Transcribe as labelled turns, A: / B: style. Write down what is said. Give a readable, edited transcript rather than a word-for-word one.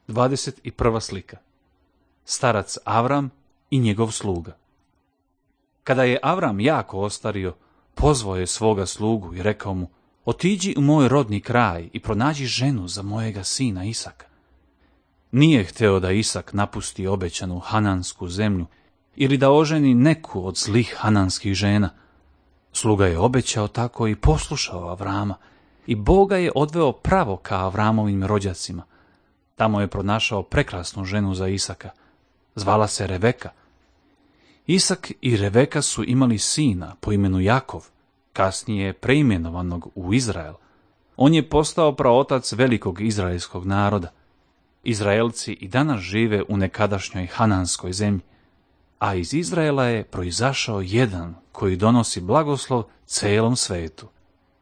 A: 21. slika. Starac Avram i njegov sluga. Kada je Avram jako ostario, pozvao je svoga slugu i rekao mu: otiđi u moj rodni kraj i pronađi ženu za mojega sina Isaka. Nije hteo da Isak napusti obećanu hanansku zemlju ili da oženi neku od zlih hananskih žena. Sluga je obećao tako i poslušao Avrama i Bog ga je odveo pravo ka Avramovim rođacima. Tamo je pronašao prekrasnu ženu za Isaka. Zvala se Reveka. Isak i Reveka su imali sina po imenu Jakov, kasnije preimenovanog u Izrael. On je postao praotac velikog izraelskog naroda. Izraelci i danas žive u nekadašnjoj hananskoj zemlji, a iz Izraela je proizašao jedan koji donosi blagoslov celom svetu.